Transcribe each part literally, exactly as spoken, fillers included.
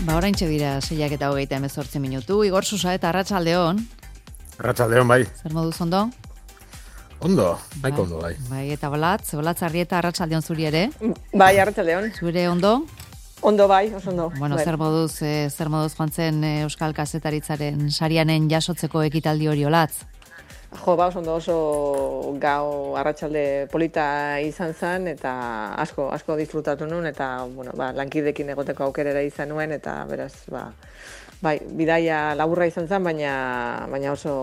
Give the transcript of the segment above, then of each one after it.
Ba, oraintxe dira seiak eta hogeita hemezortzi minutu. Igor Susa eta Arratsaldeon. Arratsaldeon, bai. Zer moduz ondo? Ondo, baiko ondo, bai. Bai, eta Balatz, Balatz Arrieta, Arratsaldeon zuri ere. Bai, Arratsaldeon. Zure ondo? Ondo bai, oso ondo. Bueno, bai. zer moduz, eh, zer moduz joan zen eh, Euskal Kazetaritzaren sarianen jasotzeko ekitaldi hori Olatz? Jo, ba, oso ondo oso gau arratsalde polita izan zen, eta asko, asko disfrutatu nuen, eta, bueno, ba, lankidekin egoteko aukerera izan nuen, eta beraz, ba, bai, bidaia laburra izan zen, baina, baina oso,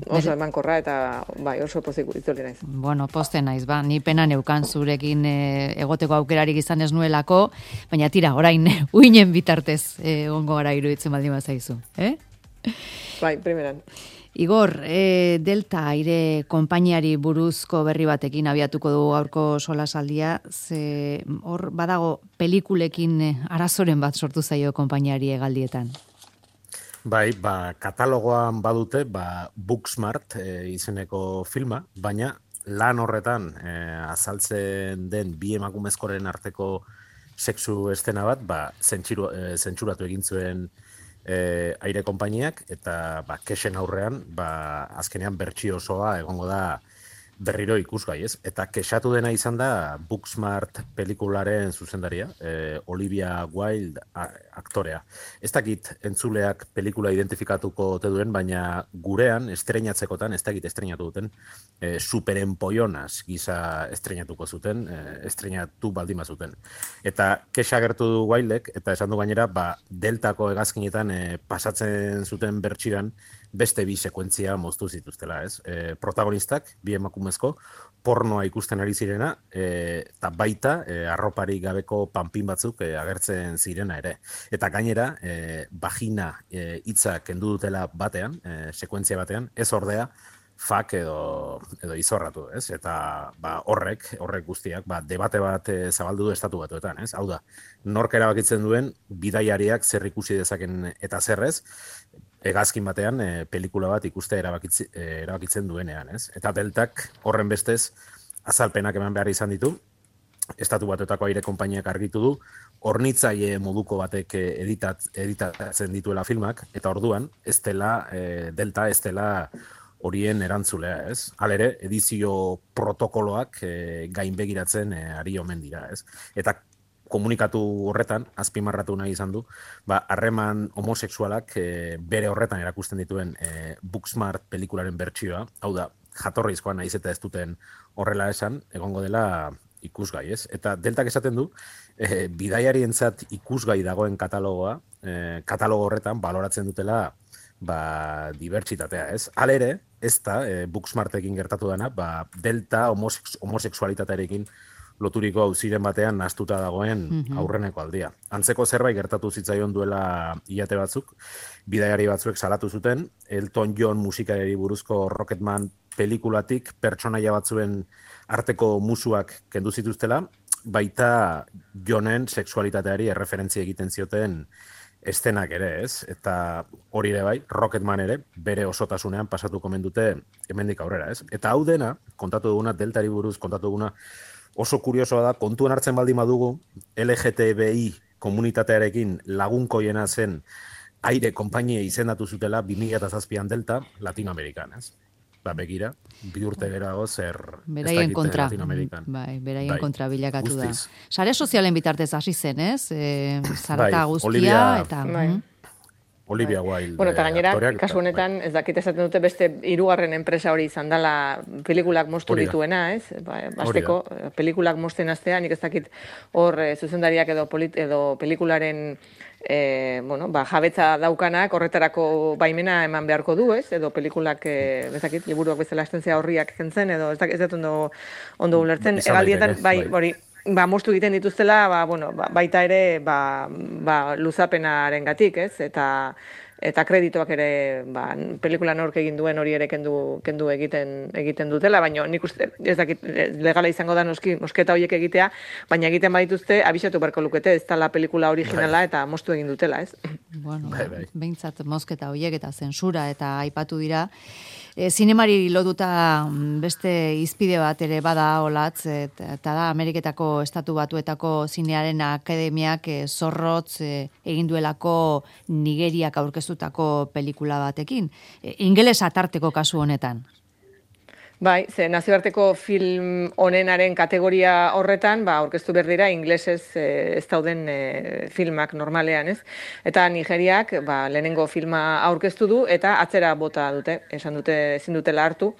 oso emankorra, eta bai, oso pozik itzuli naiz. Bueno, poste naiz, ba, ni pena neukan zurekin eh, egoteko aukerarik izan ez nuelako, baina tira, orain, uinen bitartez eh, ongo gara iruditzen baldin bazaizu, eh? Bai, primeran. Igor, e, Delta aire konpainiari buruzko berri batekin abiatuko du gaurko solasaldia, ze hor badago pelikulekin arazoren bat sortu zaio konpainiari hegaldietan. Bai, ba, katalogoan badute, ba, Booksmart e, izeneko filma, baina lan horretan e, azaltzen den bi emakumezkoren arteko sexu estena bat, ba, zentxiru, e, zentsuratu egin zuen E, aire konpainiak, eta ba, kexen aurrean, ba, azkenean bertsio osoa egongo da berriro ikusgai, ez? Eta kexatu dena izan da Booksmart pelikularen zuzendaria, e, Olivia Wilde a, aktorea. Ez dakit entzuleak pelikula identifikatuko ote duen, baina gurean, estreinatzekotan, ez dakit estreinatu duten, e, superempoionaz gisa estreinatuko zuten, e, estreinatu baldima zuten. Eta kexa gertu du Wildek, eta esan du gainera, ba, Deltako hegazkinetan e, pasatzen zuten bertxiran, beste bi sekuentzia moztu zituztela, ez? E, protagonistak, bi emakumezko, pornoa ikusten ari zirena, eta e, baita e, arroparik gabeko panpin batzuk e, agertzen zirena ere. Eta gainera, e, vagina e, hitza kendu dutela batean, e, sekuentzia batean, ez ordea, fak edo, edo izorratu, ez? Eta ba, horrek, horrek guztiak, ba, debate bat e, zabaldu du estatu batuetan, ez? Hau da, nork erabakitzen duen, bidaiariak zer ikusi dezaken eta zerrez, hegazkin batean e, pelikula bat ikuste erabakitzi, e, erabakitzen duenean, ez? Eta Deltak horren bestez azalpenak eman behar izan ditu, estatu batuetako aire konpainiak argitu du, hornitzaile moduko batek editat, editatzen dituela filmak, eta orduan, ez dela, e, Delta ez dela horien erantzulea, ez? Halere, edizio protokoloak e, gainbegiratzen e, ari omen dira, ez? Eta komunikatu horretan, azpimarratu nahi izan du, ba, harreman homosexualak e, bere horretan erakusten dituen e, Booksmart pelikularen bertsioa, hau da, jatorrizkoa nahiz eta ez duten horrela esan, egongo dela ikusgai, ez? Eta Deltak esaten du, e, bidaiarientzat ikusgai dagoen katalogoa, e, katalogo horretan baloratzen dutela ba, dibertsitatea, ez? Halere, ez da, e, Booksmartekin gertatu dena, ba, Delta homosex, homosexualitatearekin loturiko auziren batean nahastuta dagoen aurreneko aldia. Antzeko zerbait gertatu zitzaion duela hilate batzuk, bidaiari batzuek salatu zuten, Elton John musikari buruzko Rocketman pelikulatik pertsonaia batzuen arteko musuak kendu zituztela, baita Johnen sexualitateari erreferentzia egiten zioten estenak ere, ez? Eta hori ere bai, Rocketman ere, bere osotasunean pasatuko mendute hemendik aurrera, ez? Eta hau dena, kontatu duguna, Deltari buruz kontatu duguna, oso kuriosoa da, kontuan hartzen baldin badugu, L G T B I komunitatearekin lagunkoiena zen aire konpainia izendatu zutela bi mila zazpian Delta Latinoamerikan, ez? Ba, begira, bi urte gerago zer beraien kontra, Latinoamerikan. Bai, beraien bai, kontra bilakatu guztiz. da. Sare sozialen bitartez hasi zen, ez? E, zarata bai, guztia, Olivia, eta... Bai. Olivia Wilde. Bueno, eta gainera, aktoreak, kasu honetan, ez dakit esaten dute beste hirugarren enpresa hori izan dela pelikulak moztu dituena, ez? Ba, azteko, pelikulak mozten astea, nik ez dakit hor e, zuzendariak edo, polit, edo pelikularen e, bueno, ba, jabetza daukanak horretarako baimena eman beharko du, ez? Edo pelikulak, e, ez dakit, liburuak bezala estentzia horriak kentzen, edo ez dakit, ez dut ondo, ondo ulertzen, egaldietan, bai, hori, ba, moztu egiten dituztela, ba, bueno, ba, baita ere, ba, ba, luzapenaren gatik, ez? Eta, eta kreditoak ere, ba, pelikula nork egin duen hori ere kendu, kendu egiten egiten dutela, baina nik uste, ez dakit, legala izango da noski, mosketa horiek egitea, baina egiten badituzte, abisatu beharko lukete, ez dela pelikula originala eta moztu egin dutela, ez? Bueno, bai, bai. Behintzat mosketa horiek eta zensura eta aipatu dira. E, zinemari lotuta beste izpide bat ere bada olatz, eta da Ameriketako Estatu Batuetako Zinearen Akademiak e, zorrotz e, egin duelako Nigeriak aurkeztutako pelikula batekin. E, ingeles atarteko kasu honetan. Bai, ze nazioarteko film onenaren kategoria horretan, ba, aurkeztu behar dira inglesez eh, ez dauden eh, filmak normalean, ez? Eta Nigeriak, ba, lehenengo filma aurkeztu du, eta atzera bota dute, esan dute, ezin dutela hartu,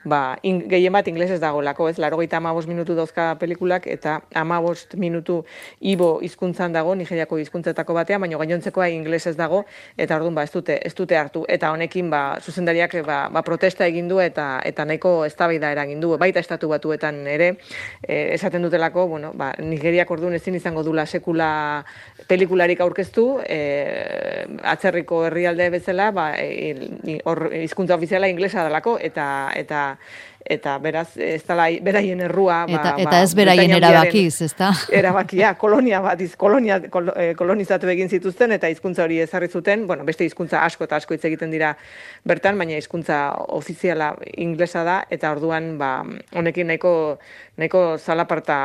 ba, in, gehien bat inglesez dagoelako, ez? Laurogeita hamabost minutu dauzka pelikulak, eta hamabost minutu ibo hizkuntzan dago, Nigeriako hizkuntzetako batean, baina gainontzekoa inglesez dago, eta orduan, ba, ez dute, ez dute hartu. Eta honekin, ba, zuzendariak, ba, ba, protesta egin du, eta, eta nahiko eztabaida eragin du, baita Estatu Batuetan ere, eh, esaten dutelako, bueno, ba, Nigeriak orduan ezin izango dula sekula pelikularik aurkeztu, eh, atzerriko herrialde bezala, ba, hor e, hizkuntza ofiziala inglesa delako, eta eta eta beraz ez dela beraien errua, ba, eta, eta ez beraien erabakiz, ezta? Erabakia, kolonia bat, iz, kolonia, kol, eh, kolonizatu egin zituzten eta hizkuntza hori ezarri zuten, bueno, beste hizkuntza asko eta asko hitz egiten dira bertan, baina hizkuntza ofiziala inglesa da, eta orduan, ba, honekin nahiko, nahiko zalaparta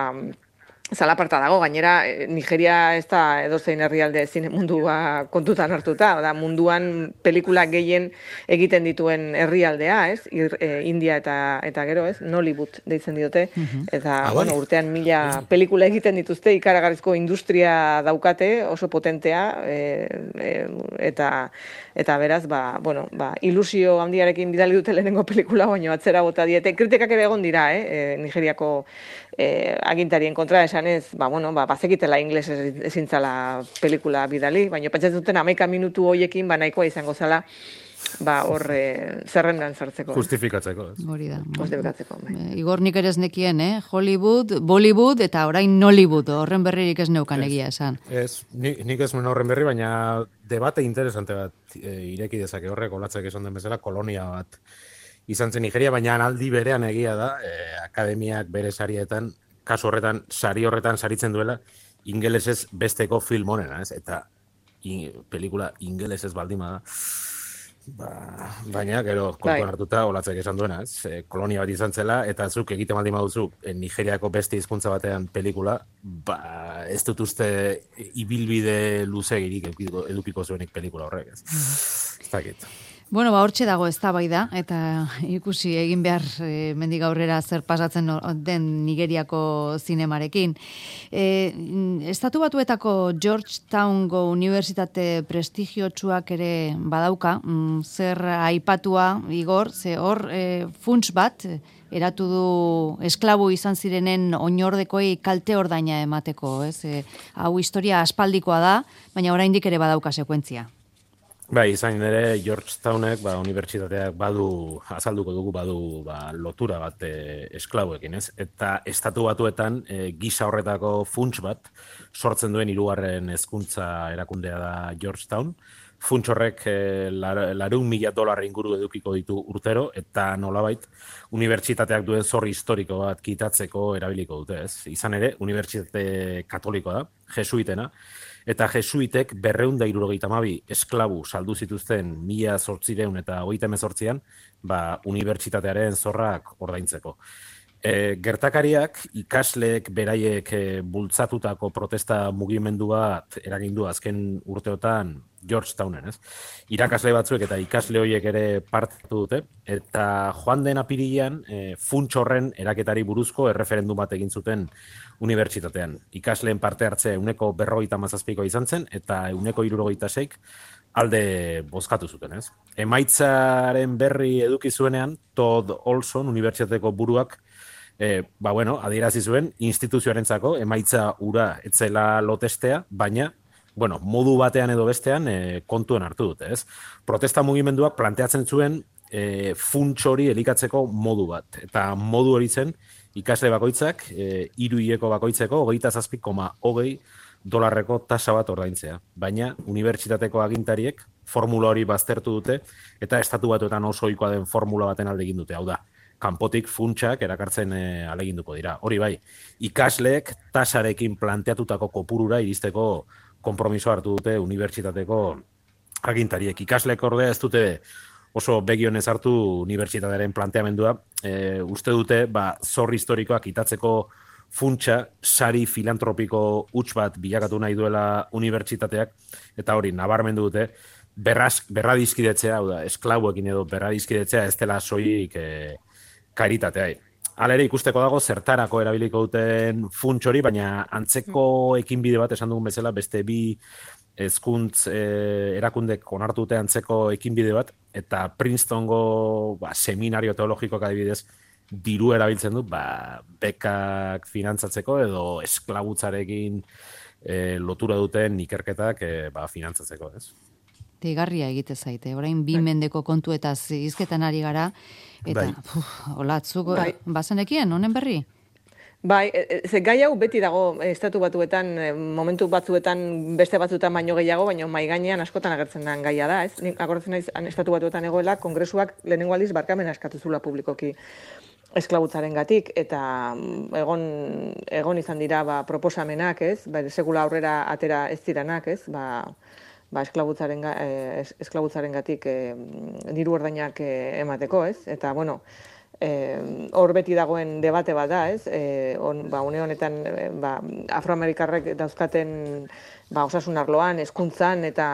Zalaparta dago, gainera Nigeria ez da edozein herrialde zine mundua kontutan hartuta, da munduan pelikula gehien egiten dituen herrialdea, ez? Ir, e, India eta eta gero, ez? Nollywood deitzen diote, eta ah, bueno, urtean mila pelikula egiten dituzte, ikaragarrizko industria daukate, oso potentea, e, e, eta eta beraz, ba, bueno, ba, ilusio handiarekin bidali dute lehenengo pelikula, baina atzera bota diete. Kritikak ere egon dira, eh? E, Nigeriako e, agintarien kontra esanez, ba, bueno, ba, bazekitela ingles ezintzala pelikula bidali, baina pentsatzen duten hamaika minutu hoiekin, ba, nahikoa izango zala, ba, hor e, zerrendan sartzeko. Justifikatzeko. Hori da. Justifikatzeko. Bai. Igor nik ere ez nekien, eh? Hollywood, Bollywood eta orain Nollywood, horren berririk ez neukan egia esan. Ez, nik, nik ez nuen horren berri, baina debate interesante bat e, ireki dezake horrek, olatzek esan den bezala, kolonia bat izan zen Nigeria, baina aldi berean egia da, e, akademiak bere sarietan, kasu horretan, sari horretan saritzen duela, ingelesez besteko film honena, ez? Eta in, pelikula ingelesez baldima da. Ba, baina, gero, kontuan hartuta, olatzek esan duena, ez? E, kolonia bat izan zela, eta zuk egiten baldin baduzu, e, Nigeriako beste hizkuntza batean pelikula, ba, ez dut uste ibilbide luzegirik edukiko, edukiko zuenik pelikula horrek, ez? Ez dakit. Bueno, ba, hortxe dago eztabaida eta ikusi egin behar e, mendik aurrera zer pasatzen den Nigeriako zinemarekin. E, Estatu Batuetako Georgetowngo unibertsitate prestigiotsuak ere badauka, mm, zer aipatua, Igor, ze hor e, funts bat eratu du esklabu izan zirenen oinordekoi kalte ordaina emateko, ez? E, hau historia aspaldikoa da, baina oraindik ere badauka sekuentzia. Bai, izan ere, Georgetownek, ba, unibertsitateak badu, azalduko dugu, badu ba, lotura bat e, esklabuekin, ez? Eta Estatu Batuetan e, gisa horretako funts bat sortzen duen hirugarren hezkuntza erakundea da Georgetown. Funts horrek e, lareun mila dolar inguru edukiko ditu urtero, eta nolabait, unibertsitateak duen zorri historiko bat kitatzeko erabiliko dute, ez? Izan ere, unibertsitate katolikoa da, jesuitena, eta jesuitek berreun da hirurogeita hamabi esklabu saldu zituzten mila zortzireun eta hogeita hemezortzian, ba, unibertsitatearen zorrak ordaintzeko. E, gertakariak ikasleek beraiek e, bultzatutako protesta mugimendu bat eragindu azken urteotan Georgetownen, ez? Irakasle batzuek eta ikasle horiek ere parte hartu dute, eta joan den apirilean e, funts horren eraketari buruzko erreferendum bat egin zuten unibertsitatean. Ikasleen parte hartzea euneko berrogeita hamazazpikoa izan zen, eta euneko hirurogeita seik alde bozkatu zuten, ez? Emaitzaren berri eduki zuenean, Todd Olson, unibertsitateko buruak, e, ba bueno, adierazi zuen instituzioarentzako emaitza ura etzela lotestea, baina bueno, modu batean edo bestean e, kontuen hartu dute, ez? Protesta mugimenduak planteatzen zuen e, funts hori elikatzeko modu bat, eta modu hori zen ikasle bakoitzak, e, hiru hileko bakoitzeko, hogeita zazpi koma hogei dolarreko tasa bat ordaintzea. Baina, unibertsitateko agintariek formula hori baztertu dute, eta estatu batuetan oso ohikoa den formula baten alde egin dute, hau da, kanpotik funtsak erakartzen e, aleginduko dira. Hori bai, ikasleek tasarekin planteatutako kopurura iristeko konpromiso hartu dute unibertsitateko agintariek. Ikasleek ordea ez dute oso begionez hartu unibertsitatearen planteamendua, e, uste dute, ba, zor historikoak itatzeko funtsa, sari filantropiko huts bat bilakatu nahi duela unibertsitateak, eta hori, nabarmendu dute, berraz, berradizkidetzea, hau da, esklabuekin edo berradizkidetzea ez dela soilik e, karitatea. Halere ikusteko dago zertarako erabiliko duten funts hori, baina antzeko ekinbide bat esan dugun bezala, beste bi hezkuntz eh, erakundek onartu dute antzeko ekinbide bat, eta Princetongo ba, seminario teologikoak adibidez, diru erabiltzen du, ba, bekak finantzatzeko edo esklabutzarekin e, lotura duten ikerketak e, ba, finantzatzeko, ez? Deigarria egite zaite, orain bi mendeko kontuetaz hizketan ari gara, eta bai. puf, olatzuk Bai. bazenekien, honen berri? Bai, ze gai hau beti dago estatu batuetan, momentu batzuetan beste batzuetan baino gehiago, baina mai gainean askotan agertzen den gaia da, ez? Nik akordatzen naiz estatu batuetan egoela, kongresuak lehenengo aldiz barkamena eskatu zula publikoki esklabutzarengatik, eta egon egon izan dira ba, proposamenak, ez? Ba, sekula aurrera atera ez diranak, ez? Ba, ba esklabutzaren eh, esklabutzarengatik eh, diru ordainak eh, emateko, ez? Eta bueno, hor eh, beti dagoen debate bat da, ez? Eh, on, ba, une honetan eh, ba, afroamerikarrek dauzkaten ba, osasun arloan, hezkuntzan eta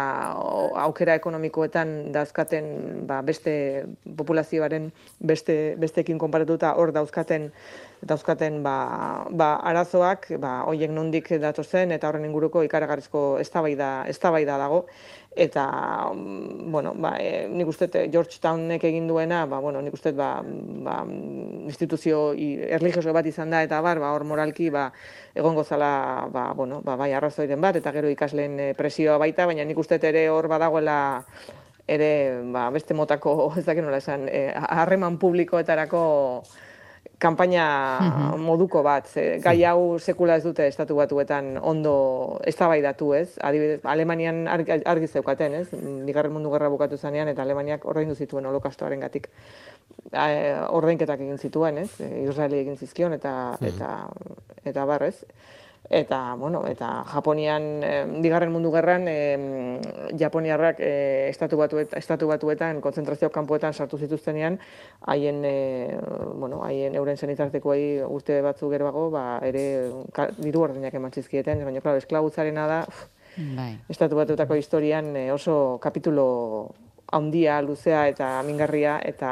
aukera ekonomikoetan dauzkaten ba, beste populazioaren beste besteekin konparatuta hor dauzkaten dauzkaten ba, ba, arazoak, ba, hoiek nondik datozen eta horren inguruko ikaragarrizko eztabaida eztabaida dago. Eta, bueno, ba, e, nik uste Georgetownek egin duena, ba, bueno, nik uste ba, ba, instituzio erlijioso bat izan da, eta bar, ba, hor moralki, ba, egongo zala, ba, bueno, ba, bai arrazoiren bat, eta gero ikasleen presioa baita, baina nik uste ere hor badagoela ere, ba, beste motako, ez dakit nola esan, harreman publikoetarako kanpaina moduko bat. Ze, gai hau sekula ez dute estatu batuetan ondo eztabaidatu, ez? Adibidez, Alemanian argi, argi zeukaten, ez? Bigarren Mundu Gerra bukatu zanean eta Alemaniak ordaindu zituen holokastoarengatik ordainketak egin zituen, ez? Israeli egin zizkion eta eta eta bar, ez? Eta, bueno, eta Japonian, eh, bigarren mundu gerran, eh, Japoniarrak eh, estatu, batuet, estatu batuetan, konzentrazio kanpoetan sartu zituztenean, haien, eh, bueno, haien euren senitartekoei urte batzu geroago, ba, ere diru ordenak eman zizkieten, baina, klaro, esklabutzarena da, bai. Estatu batuetako historian eh, oso kapitulo handia, luzea eta mingarria eta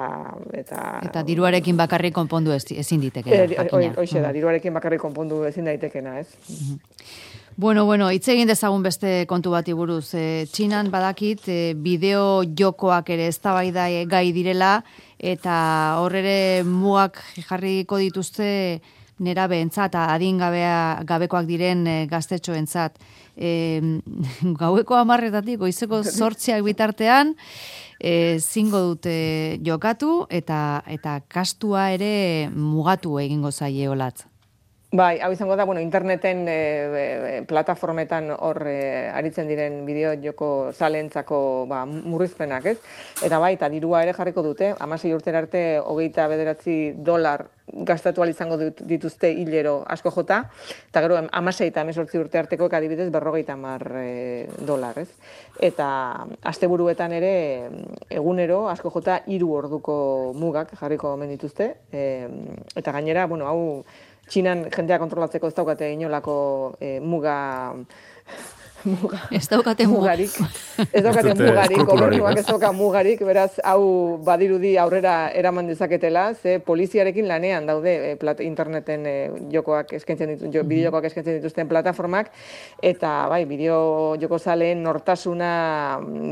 eta eta diruarekin bakarrik konpondu ezin ditekeena. Hoixe da, diruarekin bakarrik konpondu ezin daitekena, ez? Bueno, bueno, hitz egin dezagun beste kontu bati buruz. E, Txinan badakit e, bideo jokoak ere eztabaida gai direla eta hor ere mugak jarriko dituzte nerabeentzat, adingabea gabekoak diren e, gaztetxoentzat. E, gaueko hamarretatik goizeko zortziak bitartean e, zingo dute jokatu eta eta kastua ere mugatu egingo zaie olatz. Bai, hau izango da, bueno, interneten e, e, plataformetan hor e, aritzen diren bideo joko zalentzako ba, murrizpenak, ez? Eta bai, eta dirua ere jarriko dute, hamasei urtera arte hogeita bederatzi dolar gastatu ahal izango dituzte hilero asko jota, eta gero hamasei eta hemezortzi urte arteko adibidez berrogeita hamar e, dolar, ez? Eta asteburuetan ere egunero asko jota hiru orduko mugak jarriko omen dituzte, e, eta gainera, bueno, hau Txinan jendea kontrolatzeko ez daukate inolako e, muga muga. Ez daukate mugarik. Ez daukate mugarik, gobernuak ez dauka mugarik, beraz, hau badirudi aurrera eraman dezaketela, ze poliziarekin lanean daude e, plat, interneten e, jokoak eskaintzen dituzten, jo, bideo jokoak eskaintzen dituzten plataformak, eta bai, bideo joko zaleen nortasuna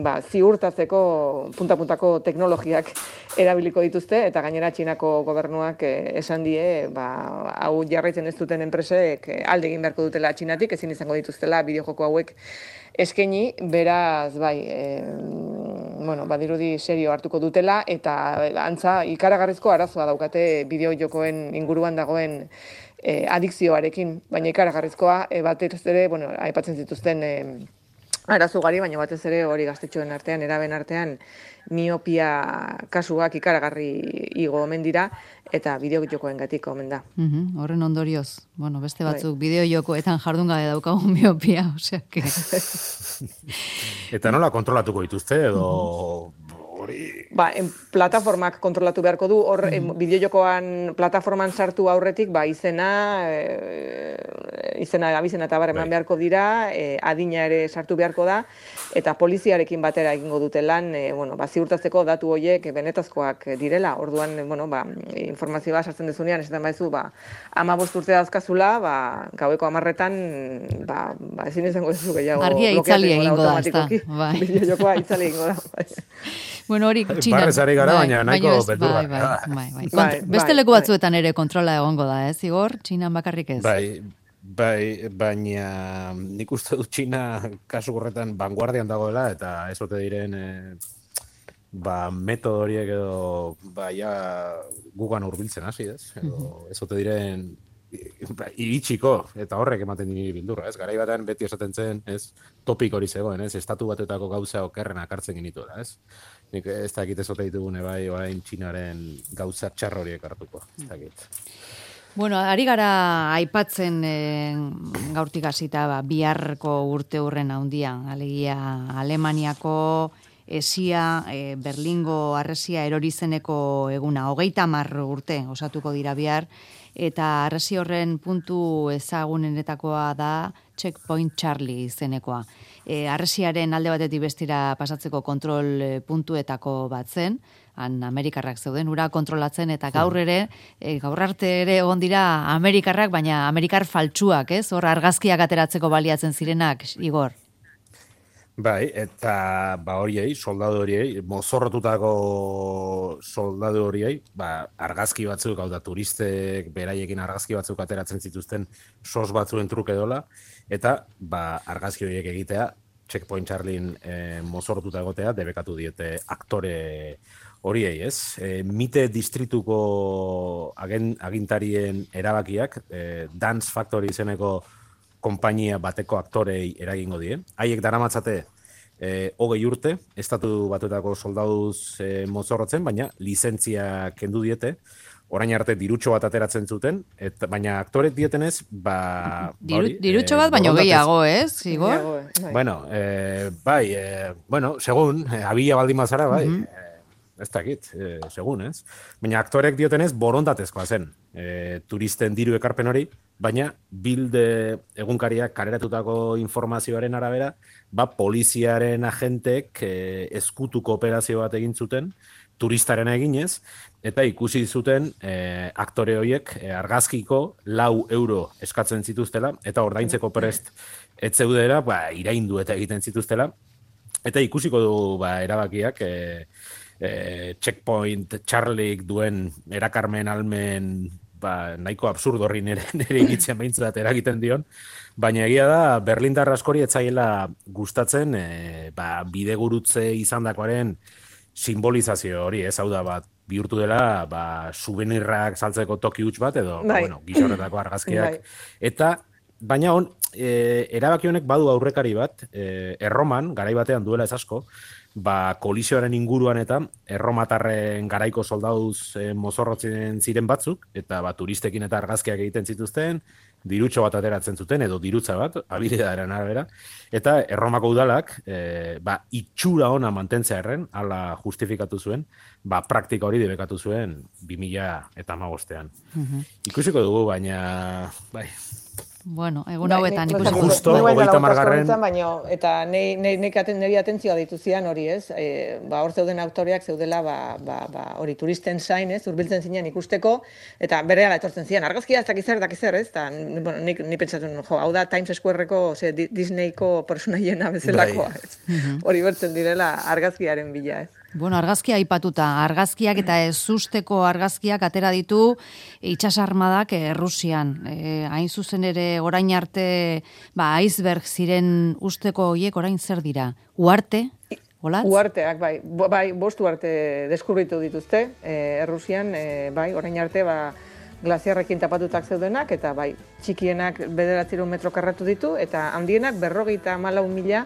ba, ziurtatzeko punta-puntako teknologiak erabiliko dituzte, eta gainera Txinako gobernuak e, esan die, ba, hau jarraitzen ez duten enpresek e, alde egin beharko dutela Txinatik, ezin izango dituztela bideo joko hauek eskaini, beraz, bai, e, bueno, badirudi serio hartuko dutela, eta antza ikaragarrizko arazoa daukate bideo jokoen inguruan dagoen e, adikzioarekin, baina ikaragarrizkoa, e, batez ere, bueno, aipatzen zituzten e, arazo gari, baina batez ere hori gaztetxoen artean, eraben artean, miopia kasuak ikaragarri igo omen dira, eta bideojokoen gatik omen da. Mm-hmm. Horren ondorioz, bueno, beste batzuk bideojokoetan jardun gabe daukagun miopia, osea, que... Eta nola kontrolatuko dituzte, edo... Hori... Ba, en plataformak kontrolatu beharko du, hor mm-hmm. bideojokoan plataforman sartu aurretik, ba, izena, e, izena, abizena eta bar eman bai. beharko dira, e, adina ere sartu beharko da, eta poliziarekin batera egingo dute lan, e, bueno, ba, ziurtatzeko datu horiek benetazkoak direla, orduan, bueno, ba, informazioa sartzen dezunean, esaten baizu, ba, amabost urte dazkazula, ba, gaueko amarretan, ba, ba, ezin izango dezu gehiago. Argia itzali egingo da, ezta. Bai. Bideojokoa itzali egingo da, bai. Bueno, hori Txinan. Barrezari gara, bai, baina nahiko beldurra. Bai, bai, bai, bai. Kont, beste leku batzuetan ere kontrola egongo da, ez, Igor? Txinan bakarrik ez? Bai, bai, baina nik uste dut Txina kasu horretan vanguardian dagoela, eta ez ote diren eh, ba, metodo horiek edo ba, ja, gugan hurbiltzen hasi, ez? Edo ez ote diren ba, iritsiko, eta horrek ematen dini bildurra, ez? Garai batean beti esaten zen, ez? Topik hori zegoen, ez? Estatu batetako gauza okerrenak hartzen genituela, ez? Nik ez dakit ez ote ditugune bai, orain Txinaren gauza txar horiek hartuko, ez dakit. Bueno, ari gara aipatzen e, gaurtik hasita ba, biharko urte hurren handian, alegia Alemaniako esia, e, Berlingo harresia erorizeneko eguna, hogeita hamar urte osatuko dira bihar, eta harresi horren puntu ezagunenetakoa da Checkpoint Charlie izenekoa. E, harresiaren alde batetik bestira pasatzeko kontrol puntuetako bat zen, han Amerikarrak zeuden, ura kontrolatzen, eta gaur ere, e, gaur arte ere egon dira Amerikarrak, baina Amerikar faltsuak, ez? Hor argazkiak ateratzeko baliatzen zirenak, Igor. Bai, eta ba horiei, soldadu horiei, mozorrotutako soldadu horiei, ba, argazki batzuk, hau da, turistek beraiekin argazki batzuk ateratzen zituzten sos batzuen truke dola, eta ba, argazki horiek egitea, Checkpoint Charlien e, mozorrotuta egotea, debekatu diete aktore horiei, ez? E, mite distrituko agen, agintarien erabakiak, e, Dance Factory izeneko konpainia bateko aktorei eragingo die. Haiek daramatzate eh, hogei urte, estatu batuetako soldaduz eh, mozorrotzen, baina lizentzia kendu diete, orain arte dirutxo bat ateratzen zuten, eta, baina aktorek dietenez, ba... Diru, ba dirutxo bat, eh, baina gehiago, ez, Igor? Bueno, eh, bai, eh, bueno, segun, eh, abila baldin bazara, bai, uh-huh. eh, ez dakit, eh, segun, ez? Baina aktorek diotenez borondatezkoa zen, eh, turisten diru ekarpen hori, baina bilde egunkariak kareratutako informazioaren arabera, ba, poliziaren agentek eh, eskutuko operazio bat egin zuten, turistaren eginez, eta ikusi zuten eh, aktore horiek eh, argazkiko lau euro eskatzen zituztela, eta ordaintzeko prest ez zeudera, ba, iraindu eta egiten zituztela, eta ikusiko du ba, erabakiak, eh, eh, Checkpoint Charliek duen erakarmen almen ba, nahiko absurdo horri nire, nire ikitzen behintzat eragiten dion, baina egia da Berlindar askori etzaiela gustatzen e, ba, bidegurutze izandakoaren simbolizazio hori, ez hau da bat bihurtu dela ba, souvenirrak saltzeko toki huts bat edo ba, bueno, gixorretako argazkiak. Eta baina on, e, erabaki honek badu aurrekari bat, e, Erroman, garai batean duela ez asko, ba, kolisioaren inguruan eta erromatarren garaiko soldaduz e, mozorrotzen ziren batzuk, eta ba, turistekin eta argazkiak egiten zituzten, dirutxo bat ateratzen zuten, edo dirutza bat, habilidadaren arabera, eta erromako udalak, e, ba, itxura ona mantentzea erren, ala justifikatu zuen, ba, praktika hori debekatu zuen bi mila hamabostean. Uh-huh. Ikusiko dugu, baina, bai... Bueno, egun hauetan ikusi. Justo, hogeita margarren. Eta nire atentzioa dituzian hori, ez? E, ba, hor zeuden aktoreak zeudela, ba, ba, ba, hori turisten zain, ez? Urbiltzen zinean ikusteko, eta berehala etortzen zian. Argazkia ez dakizer, dakizer, ez? Ta, bueno, nik, nik pentsatuen, jo, hau da Times Squareko, ze, Disneyko personaiena bezalakoa, ez? Hori bertzen direla argazkiaren bila, ez? Bueno, argazkia aipatuta, argazkiak eta ezusteko argazkiak atera ditu itsasarmadak Errusian. E, hain zuzen ere orain arte, ba, iceberg ziren usteko hoiek orain zer dira? Uarte? Olatz? Uarteak, bai, bai, bost uarte deskubritu dituzte e, Errusian, e, bai, orain arte, ba, glaziarrekin tapatutak zeudenak, eta bai, txikienak bederatziehun metro karratu ditu, eta handienak berrogeita hamalau mila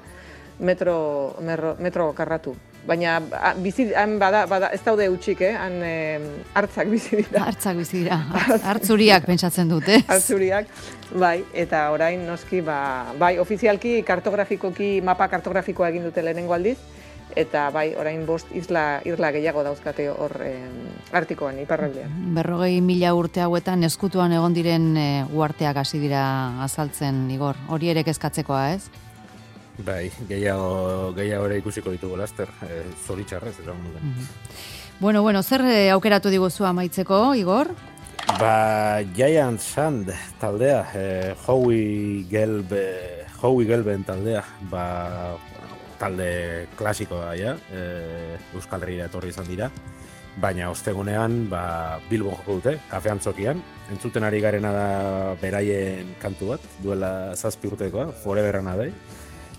metro, metro, metro karratu. Baina bizi, han bada, bada, ez daude utxik, eh? Han eh, hartzak bizi dira. Hartzak bizi dira, hartzuriak pentsatzen dute. Hartzuriak, bai, eta orain noski, ba, bai, ofizialki kartografikoki, mapa kartografikoa egin dute lehenengo aldiz, eta bai, orain bost isla, isla gehiago dauzkate hor eh, Artikoan, iparraldean. Berrogei mila urte hauetan eskutuan egon diren e, uarteak hasi dira azaltzen, Igor. Hori ere kezkatzekoa, ez? Bai, gehiago, gehiago ere ikusiko ditugu laster, e, zoritxarrez, esan duten. Mm -hmm. Bueno, bueno, zer aukeratu diguzu amaitzeko, Igor? Ba, Giant Sand taldea, e, Howie Gelb, Howie Gelben taldea, ba, talde klasikoa ja, e, Euskal Herria etorri izan dira, baina ostegunean, ba, Bilbon joko dute, kafe antzokian, entzuten ari garena da beraien kantu bat, duela zazpi urtekoa, Forever and a Day,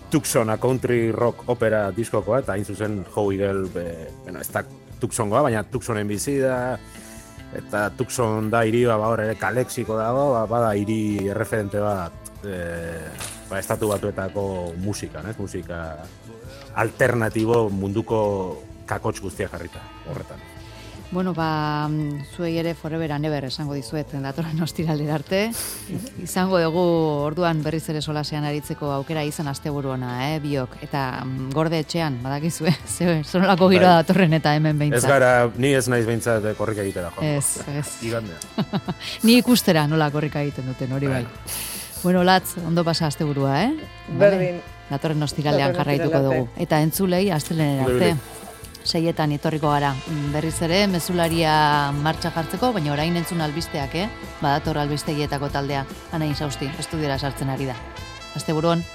Tucson, a country rock opera diskokoa, eta hain zuzen Howie Gelb, e, bueno, ez da Tucsongoa, baina Tucsonen bizi da, eta Tucson da hiri, ba, hor ere kalexiko dago, ba, bada hiri erreferente bat, e, ba, estatu batuetako musikan, ez? Musika alternatibo munduko kakotx guztiak jarrita, horretan. Bueno, ba, zuei ere forever and ever esango dizuet, datorren ostiralera arte. Izango dugu orduan berriz ere solasean aritzeko aukera izan asteburu ona, eh, biok. Eta gorde etxean, badakizue, ze zonolako giroa datorren eta hemen behintzat. Ez gara, ni ez naiz behintzat korrika egitera, jo. Ez, ez. Igandea. Ni ikustera nola korrika egiten duten, hori bai. Bueno, Latz, ondo pasa asteburua, eh? Berdin. Datorren ostiralean jarraituko dugu. Eta entzulei astelehen arte. Seietan etorriko gara. Berriz ere, mezularia martxa jartzeko, baina orain entzun albisteak, eh? Badator albistegietako taldea. Anain Sausti, estudiora sartzen ari da. Asteburuan.